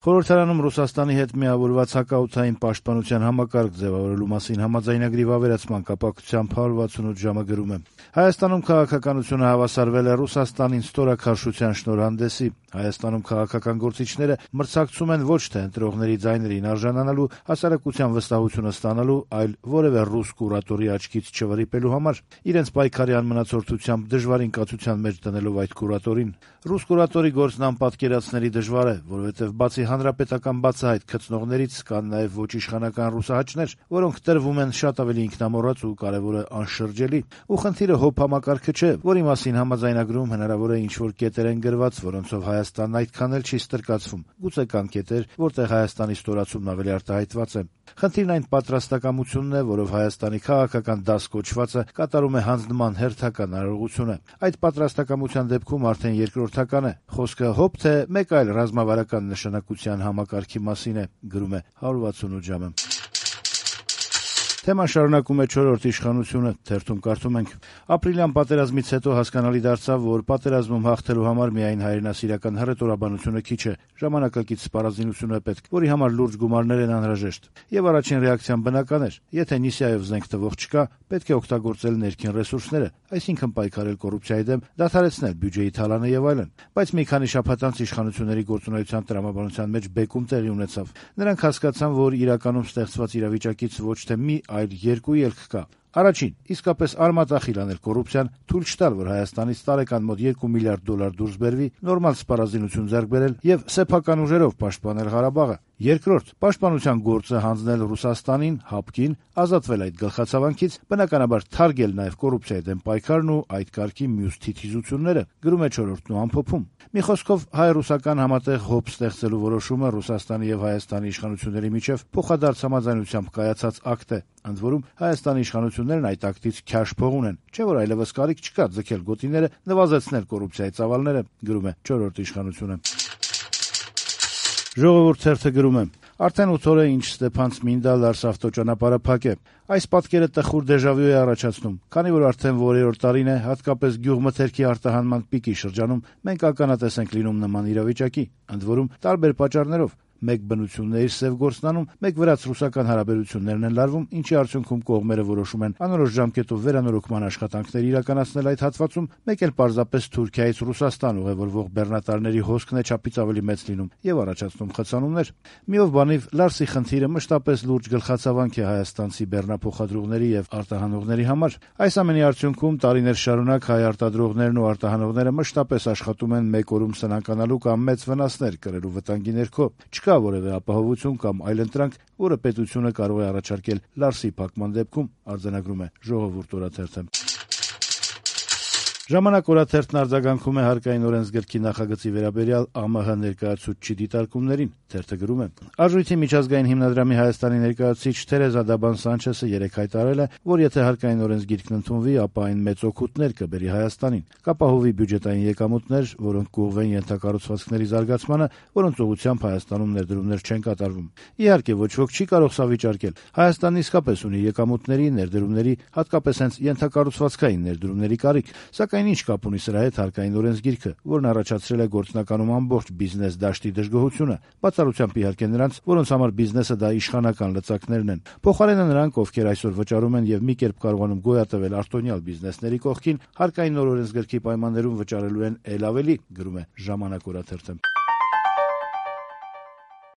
Խորհրդարանում Ռուսաստանի հետ միավորված հակաօդային պաշտպանության համակարգ ձևավորելու մասին համաձայնագրի վավերացման կապակցությամբ 168 ժամը գրում է. Հայաստանում քաղաքականությունը հավասարվել է Ռուսաստանին ստորաքարշության շնորհանդեսի։ Հայաստանում քաղաքական գործիչները մրցակցում են ոչ թե ընտրողների ձայներին արժանանալու, հասարակության վստահությունը ստանալու, այլ որևէ ռուս կուրատորի աչքից չվրիպելու համար, իրենց պայքարի անմնացորդությամբ դժվարին կացության մեջ դնելով այդ կուրատորին։ Ռուս կուրատորի գործն անպատկերացնելի դժվար է, որովհետև բացի հանրապետական բացահայտ գծնողներից կան նաև ոչ իշխանական ռուսահաճներ, որոնք տրվում են շատ ավելի ինքնամոռաց ու կարևորը անշրջելի։ Ու խնդիրը հոբ համակարգը չէ, որի մասին համաձայնագրում հնարավոր է ինչ-որ կետեր են գրված, որոնցով Հայաստանն այդքան էլ չի ստրկացվում։ Գուցե կան կետեր, որտեղ Հայաստանի ստորացումն ավելի արտահայտված է։ Խնդիրն այն պատրաստակամությունն է, որով Հայաստանի քաղաքական դաս կոչվածը կատարում է հանձնման հերթական արարողությունը։ Այդ պատրաստակամության դեպքում արդեն երկրորդական է։ Խոսքը հոբ թե մեկ այլ ռազմավարական նշանակության համակարգի մասին է, գրում է 168 ժամը։ Թեման շարունակում է չորրորդ իշխանությունը, թերթում կարդում ենք. Ապրիլյան պատերազմից հետո հասկանալի դարձավ, որ պատերազմում հաղթելու համար միայն հայրենասիրական հռետորաբանությունը քիչ է, ժամանակակից սպառազինությունը պետք, որի համար լուրջ գումարներ են անհրաժեշտ։ Եվ առաջին ռեակցիան բնական էր. եթե Նիսիայով զենք տվող չկա, պետք է օգտագործել ներքին ռեսուրսները, այսինքն պայքարել կոռուպցիայի դեմ, դադարեցնել բյուջեի թալանը եւ այլն։ Բայց մի քանի շաբաթ անց իշխանությունների գործունեության տրամաբանության մեջ բեկում տեղի ունեցավ։ Նրանք հասկացան, որ իրականում ստեղծված իրավիճակից ոչ թե մի, այլ երկու ելք կա։ Առաջին, իսկապես արմատախիլ անել կոռուպցիան, թույլ չտալ, որ Հայաստանից տարեկան մոտ $2 միլիարդ դուրս բերվի, նորմալ սպառազինություն ձեռք բերել եւ սեփական ուժերով պաշտպանել Ղարաբաղը։ Երկրորդ, պաշտպանության գործը հանձնել Ռուսաստանին, ՀԱՊԿ-ին, ազատվել այդ գլխացավանքից, բնականաբար թարգել նաեւ կոռուպցիայի դեմ պայքարն ու այդ կարգի մյուս թիթիզությունները, գրում է չորրորդն ու ամփոփում։ Մի խոսքով հայ-ռուսական համատեղ հոբ ստեղծելու որոշումը Ռուսաստանի եւ Հայաստանի իշխանությունների միջև փոխադարձ համաձայնությամբ կայացած ակտ է։ Ընդ որում Հայաստանի իշխանություններն այդ ակտից քյաշ փող ունեն, չէ՞ որ այլևս կարիք չկա ձգել գոտիները, նվազեցնել կոռուպցիայի ծավալները, գրում է չորրորդ իշխանությունը։ Ժողովուրդ թերթը գրում է. Արդեն 8 օր է ինչ Ստեփան-Ցմինդա-Լարս ավտոճանապարհը փակ է։ Այս պատկերը տխուր դեժավյու է առաջացնում, քանի որ արդեն որերորդ տարին է, հատկապես գյուղմթերքի արտահանման պիկի շրջանում, մենք ականատես ենք լինում նման իրավիճակի, ընդ որում տարբեր պատճառներով։ Մեկ բնությունն է իր սև գործնանում, մեկ վրաց-ռուսական հարաբերություններն են լարվում, ինչի արդյունքում կողմերը որոշում են անորոշ ժամկետով վերանորոգման աշխատանքներ իրականացնել այդ հատվածում, մեկ էլ պարզապես Թուրքիայից Ռուսաստան ուղևորվող բեռնատարների հոսքն է չափից ավելի մեծ լինում եւ առաջացնում խցանումներ։ Միով բանիվ Լարսի խնդիրը մշտապես լուրջ գլխացավանք է հայաստանցի բեռնափոխադրողների եւ արտահանողների համար։ Այս ամենի արդյունքում տարիներ շարունակ հայ արտադրողներն ու արտահանողները մշտապես աշխատում են մեկ օրում սնանկանալու կամ մեծ վնասներ կրելու վտանգի ներքո։ Չկա որևէ ապահովություն կամ այլընտրանք, որը պետությունը կարող է առաջարկել Լարսի փակման դեպքում, արձանագրում է Ժողովուրդ օրաթերթը։ Ժամանակ օրաթերթն արձագանքում է հարկային օրենսգրքի նախագծի վերաբերյալ ԱՄՀ ներկայացուցչի դիտարկումներին։ Թերթը գրում է. Արժույթի միջազգային հիմնադրամի Հայաստանի ներկայացուցիչ Թերեզա Դաբան Սանչեսը երեկ հայտարարել է, որ եթե հարկային օրենսգիրքն ընդունվի, ապա այն մեծ օգուտներ կբերի Հայաստանին, կապահովի բյուջետային եկամուտներ, որոնք կուղղվեն ենթակառուցվածքների զարգացմանը, որոնց ուղղությամբ Հայաստանում ներդրումներ չեն կատարվում։ Իհարկե, ոչ ոք չի կարող սա վիճարկել։ Հայաստանն իսկապես ունի եկամուտների, ներդրումների, հատկապես հենց ենթակառուցվածքային ներդրումների կարիք, սակայն ինչ կապ ունի սրա հետ հարկային օրենսգիրքը, որն առաջացրել է գործնականում ամբողջ բիզնես դաշտի դժգոհությունը, բացառությամբ իհարկե նրանց, որոնց համար բիզնեսը դա իշխանական լծակներն են։ Փոխարենը նրանք, ովքեր այսօր վճարում են եւ մի կերպ կարողանում գոյատևել արտոնյալ բիզնեսների կողքին, հարկային օրենսգրքի պայմաններում վճարելու են ել ավելի, գրում է Ժամանակ օրաթերթը։